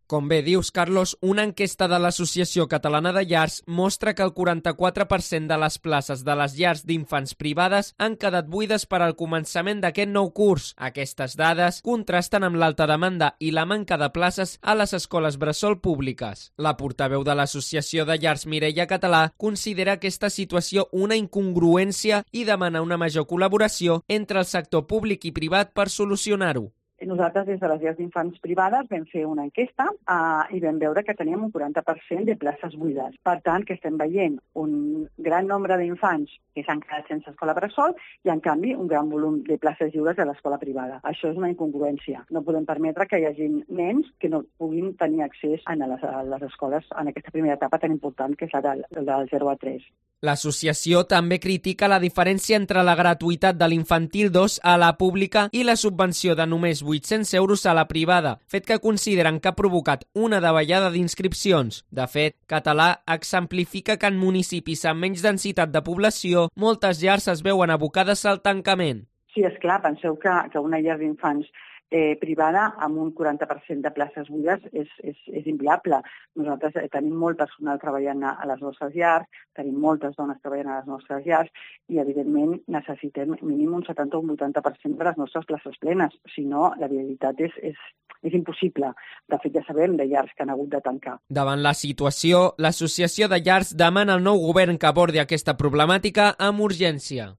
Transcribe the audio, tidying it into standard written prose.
Com bé dius, Carlos, una enquesta de l'Associació Catalana de Llars mostra que el 44% de les places de les llars d'infants privades han quedat buides per al començament d'aquest nou curs. Aquestes dades contrasten amb l'alta demanda i la manca de places a les escoles bressol públiques. La portaveu de l'Associació de Llars, Mireia Català, considera aquesta situació una incongruència i demana una major col·laboració entre el sector públic i privat per solucionar-ho. Nosaltres, des de les llars d'infants privades, vam fer una enquesta i vam veure que teníem un 40% de places buides. Per tant, que estem veient un gran nombre d'infants que s'han quedat sense escola bressol i, en canvi, un gran volum de places lliures a l'escola privada. Això és una incongruència. No podem permetre que hi hagi nens que no puguin tenir accés a les escoles en aquesta primera etapa tan important que és la del 0 a 3. L'associació també critica la diferència entre la gratuïtat de l'infantil 2 a la pública i la subvenció de només 800 euros a la privada, fet que consideren que ha provocat una davallada d'inscripcions. De fet, Català exemplifica que en municipis amb menys densitat de població, moltes llars es veuen abocades al tancament. Sí, esclar, penseu que una llar d'infants privada amb un 40% de places buides és inviable. Nosaltres tenim molt personal treballant a les nostres llars, tenim moltes dones treballant a les nostres llars i, evidentment, necessitem mínim un 70 o un 80% de les nostres places plenes. Si no, la viabilitat és impossible. De fet, ja sabem de llars que han hagut de tancar. Davant la situació, l'Associació de Llars demana al nou govern que abordi aquesta problemàtica amb urgència.